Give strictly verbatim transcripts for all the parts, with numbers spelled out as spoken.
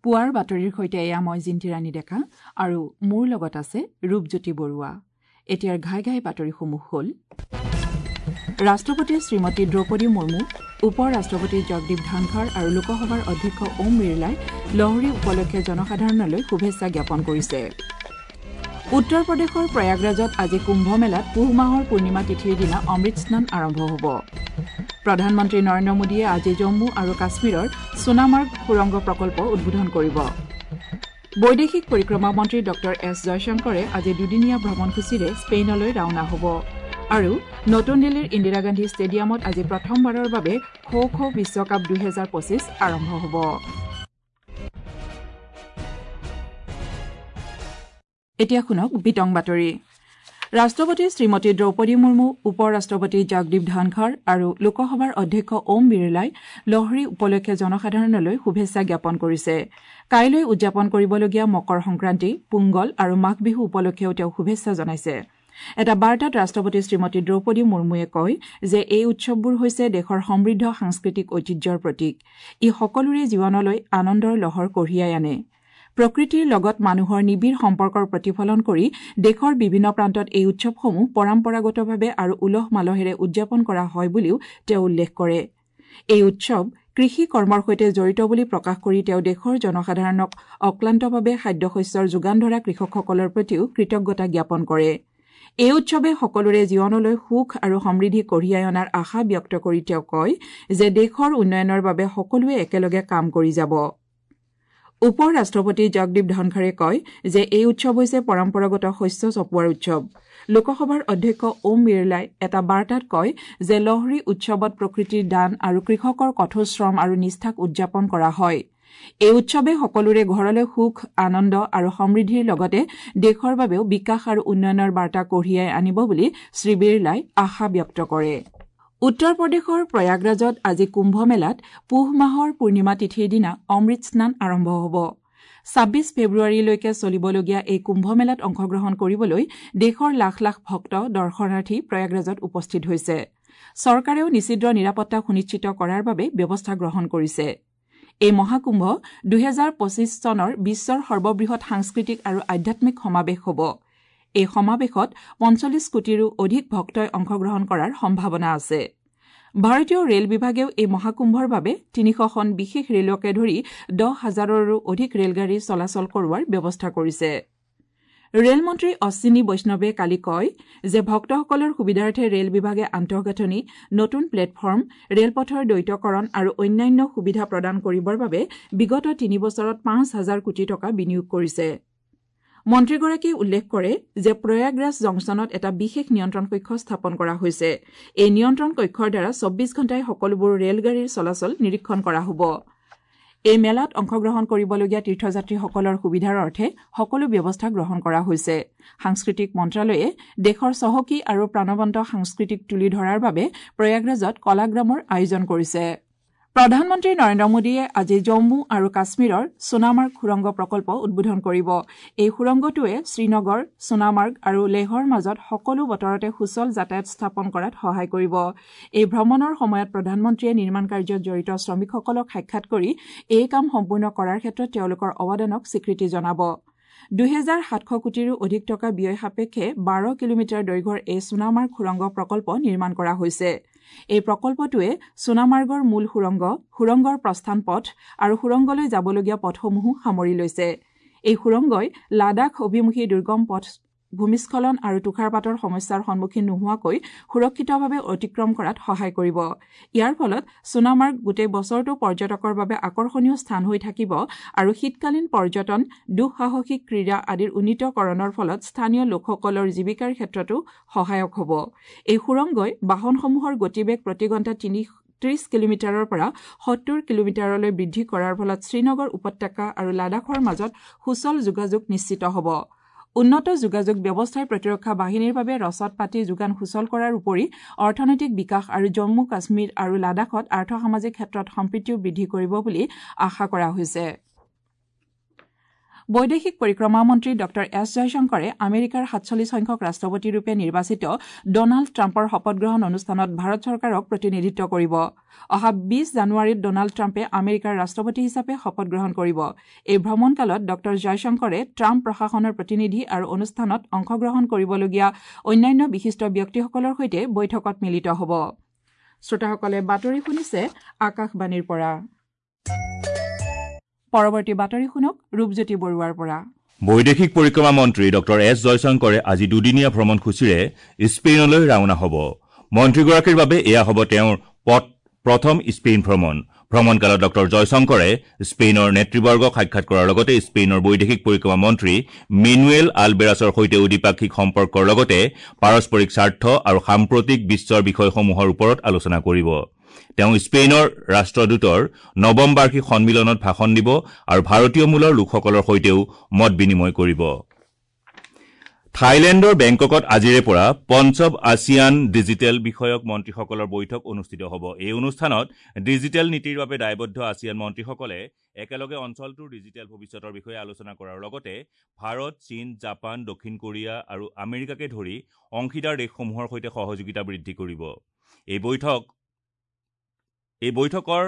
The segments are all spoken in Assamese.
পুৱাৰ বাতৰিৰ সৈতে এয়া মই জিন্তিৰাণী ডেকা আৰু মোৰ লগত আছে ৰূপজ্যোতি বৰুৱা। এতিয়াৰ ঘাই ঘাই বাতৰিসমূহ হ'ল: ৰাষ্ট্ৰপতি শ্ৰীমতী দ্ৰৌপদী মুৰ্মু, উপ ৰাষ্ট্ৰপতি জগদীপ ধনখৰ আৰু লোকসভাৰ অধ্যক্ষ ওম বিৰলাই লহৰী উপলক্ষে জনসাধাৰণলৈ শুভেচ্ছা জ্ঞাপন কৰিছে। উত্তৰ প্ৰদেশৰ প্ৰয়াগৰাজত আজি কুম্ভ মেলাত পুহ মাহৰ পূৰ্ণিমা তিথিৰ দিনা অমৃত স্নান আৰম্ভ হ'ব। প্ৰধানমন্ত্ৰী নৰেন্দ্ৰ মোদীয়ে আজি জম্মু আৰু কাশ্মীৰৰ সোণামাৰ্গ সুৰংগ প্ৰকল্প উদ্বোধন কৰিব। বৈদেশিক পৰিক্ৰমা মন্ত্ৰী ডঃ এছ জয়শংকৰে আজি দুদিনীয়া ভ্ৰমণসূচীৰে স্পেইনলৈ ৰাওনা হ'ব। আৰু নতুন দিল্লীৰ ইন্দিৰা গান্ধী ষ্টেডিয়ামত আজি প্ৰথমবাৰৰ বাবে খো খো বিশ্বকাপ দুহেজাৰ পঁচিছ আৰম্ভ হ'ব। এতিয়া শুনক বিতং বাতৰি। ৰাষ্ট্ৰপতি শ্ৰীমতী দ্ৰৌপদী মুৰ্মু, উপ ৰাষ্ট্ৰপতি জগদীপ ধনখৰ আৰু লোকসভাৰ অধ্যক্ষ ওম বিৰলাই লহৰী উপলক্ষে জনসাধাৰণলৈ শুভেচ্ছা জ্ঞাপন কৰিছে। কাইলৈ উদযাপন কৰিবলগীয়া মকৰ সংক্ৰান্তি, পোংগল আৰু মাঘ বিহু উপলক্ষেও তেওঁ শুভেচ্ছা জনাইছে। এটা বাৰ্তাত ৰাষ্ট্ৰপতি শ্ৰীমতী দ্ৰৌপদী মুৰ্মুৱে কয় যে এই উৎসৱবোৰ হৈছে দেশৰ সমৃদ্ধ সাংস্কৃতিক ঐতিহ্যৰ প্ৰতীক। ই সকলোৰে জীৱনলৈ আনন্দৰ লহৰ কঢ়িয়াই আনে। প্ৰকৃতিৰ লগত মানুহৰ নিবিড় সম্পৰ্কৰ প্ৰতিফলন কৰি দেশৰ বিভিন্ন প্ৰান্তত এই উৎসৱসমূহ পৰম্পৰাগতভাৱে আৰু উলহ মালহেৰে উদযাপন কৰা হয় বুলিও তেওঁ উল্লেখ কৰে। এই উৎসৱ কৃষি কৰ্মৰ সৈতে জড়িত বুলি প্ৰকাশ কৰি তেওঁ দেশৰ জনসাধাৰণক অক্লান্তভাৱে খাদ্যশস্যৰ যোগান ধৰা কৃষকসকলৰ প্ৰতিও কৃতজ্ঞতা জ্ঞাপন কৰে। এই উৎসৱে সকলোৰে জীৱনলৈ সুখ আৰু সমৃদ্ধি কঢ়িয়াই অনাৰ আশা ব্যক্ত কৰি তেওঁ কয় যে দেশৰ উন্নয়নৰ বাবে সকলোৱে একেলগে কাম কৰি যাব। উপ ৰাষ্ট্ৰপতি জগদীপ ধনখৰে কয় যে এই উৎসৱ হৈছে পৰম্পৰাগত শস্য চপোৱাৰ উৎসৱ। লোকসভাৰ অধ্যক্ষ ওম বিৰলাই এটা বাৰ্তাত কয় যে লহৰী উৎসৱত প্ৰকৃতিৰ দান আৰু কৃষকৰ কঠোৰ শ্ৰম আৰু নিষ্ঠাক উদযাপন কৰা হয়। এই উৎসৱে সকলোৰে ঘৰলৈ সুখ, আনন্দ আৰু সমৃদ্ধিৰ লগতে দেশৰ বাবেও বিকাশ আৰু উন্নয়নৰ বাৰ্তা কঢ়িয়াই আনিব বুলি শ্ৰী বিৰলাই আশা ব্যক্ত কৰে। উত্তৰ প্ৰদেশৰ প্ৰয়াগৰাজত আজি কুম্ভ মেলাত পুহ মাহৰ পূৰ্ণিমা তিথিৰ দিনা অমৃত স্নান আৰম্ভ হ'ব। ছাব্বিছ ফেব্ৰুৱাৰীলৈকে চলিবলগীয়া এই কুম্ভ মেলাত অংশগ্ৰহণ কৰিবলৈ দেশৰ লাখ লাখ ভক্ত, দৰ্শনাৰ্থী প্ৰয়াগৰাজত উপস্থিত হৈছে। চৰকাৰেও নিশ্চিদ্ৰ নিৰাপত্তা সুনিশ্চিত কৰাৰ বাবে ব্যৱস্থা গ্ৰহণ কৰিছে। এই মহাকুম্ভ দুহেজাৰ পঁচিছ চনৰ বিশ্বৰ সৰ্ববৃহৎ সাংস্কৃতিক আৰু আধ্যাত্মিক সমাৱেশ হ'ব। এই সমাৱেশত পঞ্চল্লিছ কোটিৰো অধিক ভক্তই অংশগ্ৰহণ কৰাৰ সম্ভাৱনা আছে। ভাৰতীয় ৰেল বিভাগেও এই মহাকুম্ভৰ বাবে তিনিশখন বিশেষ ৰেলকে ধৰি দহ হাজাৰৰো অধিক ৰেলগাড়ী চলাচল কৰোৱাৰ ব্যৱস্থা কৰিছে। ৰেলমন্ত্ৰী অশ্বিনী বৈষ্ণৱে কালি কয় যে ভক্তসকলৰ সুবিধাৰ্থে ৰেল বিভাগে আন্তঃগাঁথনি, নতুন প্লেটফৰ্ম, ৰেলপথৰ দ্বৈতকৰণ আৰু অন্যান্য সুবিধা প্ৰদান কৰিবৰ বাবে বিগত তিনি বছৰত পাঁচ হাজাৰ কোটি টকা বিনিয়োগ কৰিছে। মন্ত্ৰীগৰাকীয়ে উল্লেখ কৰে যে প্ৰয়াগৰাজ জংচনত এটা বিশেষ নিয়ন্ত্ৰণ কক্ষ স্থাপন কৰা হৈছে। এই নিয়ন্ত্ৰণ কক্ষৰ দ্বাৰা চৌব্বিছ ঘণ্টাই সকলোবোৰ ৰেলগাড়ীৰ চলাচল নিৰীক্ষণ কৰা হ'ব। এই মেলাত অংশগ্ৰহণ কৰিবলগীয়া তীৰ্থযাত্ৰীসকলৰ সুবিধাৰ অৰ্থে সকলো ব্যৱস্থা গ্ৰহণ কৰা হৈছে। সাংস্কৃতিক মন্ত্ৰালয়ে দেশৰ চহকী আৰু প্ৰাণৱন্ত সাংস্কৃতিক তুলি ধৰাৰ বাবে প্ৰয়াগৰাজত কলাগ্ৰামৰ আয়োজন কৰিছে। প্ৰধানমন্ত্ৰী নৰেন্দ্ৰ মোদীয়ে আজি জম্মু আৰু কাশ্মীৰৰ সোণামাৰ্গ সুৰংগ প্ৰকল্প উদ্বোধন কৰিব। এই সুৰংগটোৱে শ্ৰীনগৰ, সোণামাৰ্গ আৰু লেহৰ মাজত সকলো বতৰতে সুচল যাতায়াত স্থাপন কৰাত সহায় কৰিব। এই ভ্ৰমণৰ সময়ত প্ৰধানমন্ত্ৰীয়ে নিৰ্মাণ কাৰ্যত জড়িত শ্ৰমিকসকলক সাক্ষাৎ কৰি এই কাম সম্পূৰ্ণ কৰাৰ ক্ষেত্ৰত তেওঁলোকৰ অৱদানক স্বীকৃতি জনাব। দুহেজাৰ সাতশ কোটিৰো অধিক টকা ব্যয় সাপেক্ষে বাৰ কিলোমিটাৰ দৈৰ্ঘ্যৰ এই সোণামাৰ্গ সুৰংগ প্ৰকল্প নিৰ্মাণ কৰা হৈছে। এই প্ৰকল্পটোৱে সোণামাৰ্গৰ মূল সুৰংগ, সুৰংগৰ প্ৰস্থান পথ আৰু সুৰংগলৈ যাবলগীয়া পথসমূহো সামৰি লৈছে। এই সুৰংগই লাডাখ অভিমুখী দুৰ্গম পথ ভূমিস্খলন আৰু তুষাৰপাতৰ সমস্যাৰ সন্মুখীন নোহোৱাকৈ সুৰক্ষিতভাৱে অতিক্ৰম কৰাত সহায় কৰিব। ইয়াৰ ফলত সোণামাৰ্গ গোটেই বছৰটো পৰ্যটকৰ বাবে আকৰ্ষণীয় স্থান হৈ থাকিব আৰু শীতকালীন পৰ্যটন, দুঃসাহসিক ক্ৰীড়া আদিৰ উন্নীতকৰণৰ ফলত স্থানীয় লোকসকলৰ জীৱিকাৰ ক্ষেত্ৰতো সহায়ক হ'ব। এই সুৰংগই বাহনসমূহৰ গতিবেগ প্ৰতি ঘণ্টাত তিনি ত্ৰিশ কিলোমিটাৰৰ পৰা সত্তৰ কিলোমিটাৰলৈ বৃদ্ধি কৰাৰ ফলত শ্ৰীনগৰ উপত্যকা আৰু লাডাখৰ মাজত সুচল যোগাযোগ নিশ্চিত হ'ব। উন্নত যোগাযোগ ব্যৱস্থাই প্ৰতিৰক্ষা বাহিনীৰ বাবে ৰচদ পাতি যোগান সুচল কৰাৰ উপৰি অৰ্থনৈতিক বিকাশ আৰু জম্মু কাশ্মীৰ আৰু লাডাখত আৰ্থসামাজিক ক্ষেত্ৰত সম্প্ৰীতিও বৃদ্ধি কৰিব বুলি আশা কৰা হৈছে। বৈদেশিক পৰিক্ৰমা মন্ত্ৰী ডঃ এছ জয়শংকৰে আমেৰিকাৰ সাতচল্লিছ সংখ্যক ৰাষ্ট্ৰপতিৰূপে নিৰ্বাচিত ডনাল্ড ট্ৰাম্পৰ শপতগ্ৰহণ অনুষ্ঠানত ভাৰত চৰকাৰক প্ৰতিনিধিত্ব কৰিব। অহা বিছ জানুৱাৰীত ডনাল্ড ট্ৰাম্পে আমেৰিকাৰ ৰাষ্ট্ৰপতি হিচাপে শপতগ্ৰহণ কৰিব। এই ভ্ৰমণকালত ডঃ জয়শংকৰে ট্ৰাম্প প্ৰশাসনৰ প্ৰতিনিধি আৰু অনুষ্ঠানত অংশগ্ৰহণ কৰিবলগীয়া অন্যান্য বিশিষ্ট ব্যক্তিসকলৰ সৈতে বৈঠকত মিলিত হ'ব। শ্ৰোতাসকলে বাতৰি শুনিছে আকাশবাণীৰ পৰা। পৰৱৰ্তী বাতৰি শুনক ৰূপজ্যোতি বৰুৱাৰ পৰা। বৈদেশিক পৰিক্ৰমা মন্ত্ৰী ডঃ এছ জয়শংকৰে আজি দুদিনীয়া ভ্ৰমণসূচীৰে স্পেইনলৈ ৰাওনা হ'ব। মন্ত্ৰীগৰাকীৰ বাবে এয়া হ'ব তেওঁৰ প্ৰথম স্পেইন ভ্ৰমণ। ভ্ৰমণকালত ডঃ জয়শংকৰে স্পেইনৰ নেতৃবৰ্গক সাক্ষাৎ কৰাৰ লগতে স্পেইনৰ বৈদেশিক পৰিক্ৰমা মন্ত্ৰী মেনুৱেল আলবেৰাছৰ সৈতেও দ্বিপাক্ষিক সম্পৰ্কৰ লগতে পাৰস্পৰিক স্বাৰ্থ আৰু সাম্প্ৰতিক বিশ্বৰ বিষয়সমূহৰ ওপৰত আলোচনা কৰিব। তেওঁ স্পেইনৰ ৰাষ্ট্ৰদূতৰ নৱম বাৰ্ষিক সন্মিলনত ভাষণ দিব আৰু ভাৰতীয় মূলৰ লোকসকলৰ সৈতেও মত বিনিময় কৰিব। থাইলেণ্ডৰ বেংককত আজিৰে পৰা পঞ্চম আছিয়ান ডিজিটেল বিষয়ক মন্ত্ৰীসকলৰ বৈঠক অনুষ্ঠিত হ'ব। এই অনুষ্ঠানত ডিজিটেল নীতিৰ বাবে দায়বদ্ধ আছিয়ান মন্ত্ৰীসকলে একেলগে অঞ্চলটোৰ ডিজিটেল ভৱিষ্যতৰ বিষয়ে আলোচনা কৰাৰ লগতে ভাৰত, চীন, জাপান, দক্ষিণ কোৰিয়া আৰু আমেৰিকাকে ধৰি অংশীদাৰ দেশসমূহৰ সৈতে সহযোগিতা বৃদ্ধি কৰিব। এই বৈঠক এই বৈঠকৰ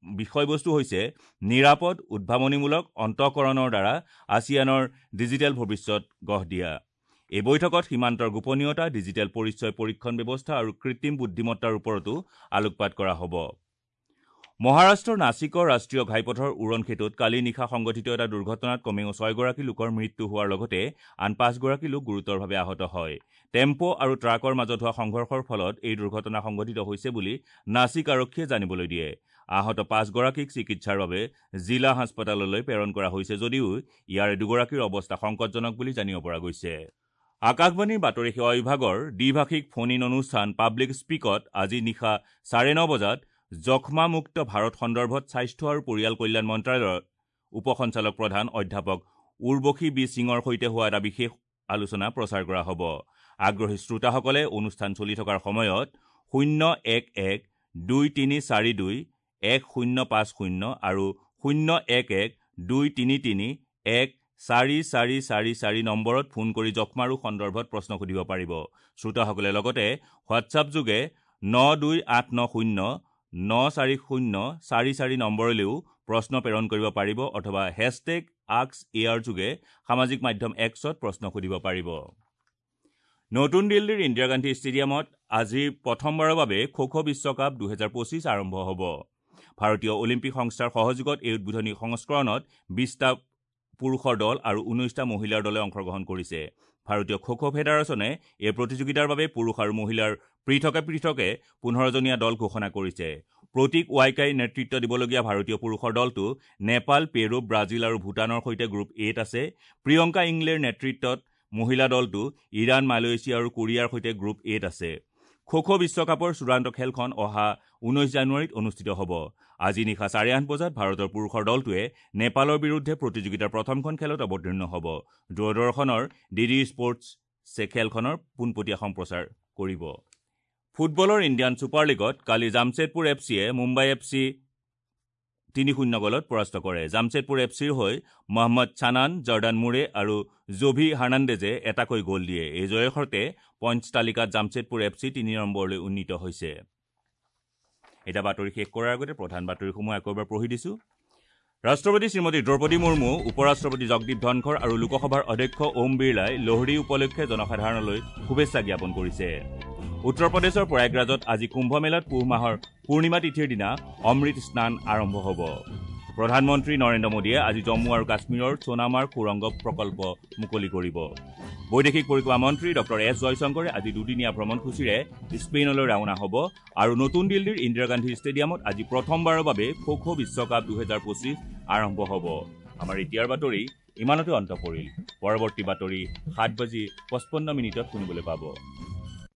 বিষয়বস্তু হৈছে নিৰাপদ, উদ্ভাৱনীমূলক অন্তঃকৰণৰ দ্বাৰা আছিয়ানৰ ডিজিটেল ভৱিষ্যত গঢ় দিয়া। এই বৈঠকত সীমান্তৰ গোপনীয়তা, ডিজিটেল পৰিচয় পৰীক্ষণ ব্যৱস্থা আৰু কৃত্ৰিম বুদ্ধিমত্তাৰ ওপৰতো আলোকপাত কৰা হ'ব। মহাৰাষ্ট্ৰৰ নাছিকৰ ৰাষ্ট্ৰীয় ঘাইপথৰ উৰণ সেতুত কালি নিশা সংঘটিত এটা দুৰ্ঘটনাত কমেও ছয়গৰাকী লোকৰ মৃত্যু হোৱাৰ লগতে আন পাঁচগৰাকী লোক গুৰুতৰভাৱে আহত হয়। টেম্পো আৰু ট্ৰাকৰ মাজত হোৱা সংঘৰ্ষৰ ফলত এই দুৰ্ঘটনা সংঘটিত হৈছে বুলি নাছিক আৰক্ষীয়ে জানিবলৈ দিয়ে। আহত পাঁচগৰাকীক চিকিৎসাৰ বাবে জিলা হাস্পতাললৈ প্ৰেৰণ কৰা হৈছে যদিও ইয়াৰে দুগৰাকীৰ অৱস্থা সংকটজনক বুলি জানিব পৰা গৈছে। আকাশবাণীৰ বাতৰি সেৱা বিভাগৰ দ্বিভাষিক ফোন ইন অনুষ্ঠান পাব্লিক স্পীকত আজি নিশা চাৰে ন বজাত যক্ষ্মামুক্ত ভাৰত সন্দৰ্ভত স্বাস্থ্য আৰু পৰিয়াল কল্যাণ মন্ত্ৰালয়ৰ উপ সঞ্চালক প্ৰধান অধ্যাপক উৰ্বশী বি সিঙৰ সৈতে হোৱা এটা বিশেষ আলোচনা প্ৰচাৰ কৰা হ'ব। আগ্ৰহী শ্ৰোতাসকলে অনুষ্ঠান চলি থকাৰ সময়ত শূন্য এক এক দুই তিনি চাৰি দুই এক শূন্য পাঁচ শূন্য আৰু শূন্য এক এক দুই তিনি তিনি এক চাৰি চাৰি চাৰি চাৰি নম্বৰত ফোন কৰি যক্ষ্মা ৰোগ সন্দৰ্ভত প্ৰশ্ন সুধিব পাৰিব। শ্ৰোতাসকলে লগতে হোৱাটছআপ যোগে ন দুই আঠ ন শূন্য ন চাৰি শূন্য চাৰি চাৰি নম্বৰলৈও প্ৰশ্ন প্ৰেৰণ কৰিব পাৰিব অথবা হেছটেগ আক্স এয়াৰ যোগে সামাজিক মাধ্যম এক্সত প্ৰশ্ন সুধিব পাৰিব। নতুন দিল্লীৰ ইন্দিৰা গান্ধী ষ্টেডিয়ামত আজি প্ৰথমবাৰৰ বাবে খো খো বিশ্বকাপ দুহেজাৰ পঁচিছ আৰম্ভ হ'ব। ভাৰতীয় অলিম্পিক সংস্থাৰ সহযোগত এই উদ্বোধনী সংস্কৰণত বিছটা পুৰুষৰ দল আৰু ঊনৈছটা মহিলাৰ দলে অংশগ্ৰহণ কৰিছে। ভাৰতীয় খো খো ফেডাৰেশ্যনে এই প্ৰতিযোগিতাৰ বাবে পুৰুষ আৰু মহিলাৰ পৃথকে পৃথকে পোন্ধৰজনীয়া দল ঘোষণা কৰিছে। প্ৰতীক ৱাইকাই নেতৃত্ব দিবলগীয়া ভাৰতীয় পুৰুষৰ দলটো নেপাল, পেৰু, ব্ৰাজিল আৰু ভূটানৰ সৈতে গ্ৰুপ এত আছে। প্ৰিয়ংকা ইংলেৰ নেতৃত্বত মহিলা দলটো ইৰাণ, মালয়েছিয়া আৰু কোৰিয়াৰ সৈতে গ্ৰুপ এত আছে। খো খো বিশ্বকাপৰ চূড়ান্ত খেলখন অহা ঊনৈছ জানুৱাৰীত অনুষ্ঠিত হ'ব। আজি নিশা চাৰে আঠ বজাত ভাৰতৰ পুৰুষৰ দলটোৱে নেপালৰ বিৰুদ্ধে প্ৰতিযোগিতাৰ প্ৰথমখন খেলত অৱতীৰ্ণ হ'ব। দূৰদৰ্শনৰ ডি ডি স্পৰ্টছে খেলখনৰ পোনপটীয়া সম্প্ৰচাৰ কৰিব। ফুটবলৰ ইণ্ডিয়ান ছুপাৰ লীগত কালি জামছেদপুৰ এফ চিয়ে মুম্বাই এফ চি তিনি শূন্য গ'লত পৰাস্ত কৰে। জামছেদপুৰ এফ চিৰ হৈ মহম্মদ চানান, জৰ্ডান মুৰে আৰু জোভি হাৰ্নাণ্ডেজে এটাকৈ গ'ল দিয়ে। এই জয়ৰ সৈতে পইণ্টছ তালিকাত জামছেদপুৰ এফ চি তিনি নম্বৰলৈ উন্নীত হৈছে। এতিয়া বাতৰি শেষ কৰাৰ আগতে প্ৰধান বাতৰিসমূহ আকৌ এবাৰ পঢ়ি দিছোঁ। ৰাষ্ট্ৰপতি শ্ৰীমতী দ্ৰৌপদী মুৰ্মু, উপ ৰাষ্ট্ৰপতি জগদীপ ধনখৰ আৰু লোকসভাৰ অধ্যক্ষ ওম বিৰলাই লোহৰী উপলক্ষে জনসাধাৰণলৈ শুভেচ্ছা জ্ঞাপন কৰিছে। উত্তৰ প্ৰদেশৰ প্ৰয়াগৰাজত আজি কুম্ভমেলাত পুহ মাহৰ পূৰ্ণিমা তিথিৰ দিনা অমৃত স্নান আৰম্ভ হ'ব। প্ৰধানমন্ত্ৰী নৰেন্দ্ৰ মোদীয়ে আজি জম্মু আৰু কাশ্মীৰৰ সোণামাৰ্গ সুৰংগ প্ৰকল্প মুকলি কৰিব। বৈদেশিক পৰিক্ৰমা মন্ত্ৰী ডঃ এছ জয়শংকৰে আজি দুদিনীয়া ভ্ৰমণসূচীৰে স্পেইনলৈ ৰাওনা হ'ব আৰু নতুন দিল্লীৰ ইন্দিৰা গান্ধী ষ্টেডিয়ামত আজি প্ৰথমবাৰৰ বাবে খো খো বিশ্বকাপ দুহেজাৰ পঁচিছ আৰম্ভ হ'ব। আমাৰ এতিয়াৰ বাতৰি ইমানতে অন্ত পৰিল। পৰৱৰ্তী বাতৰি সাত বাজি পঁচপন্ন মিনিটত শুনিবলৈ পাব।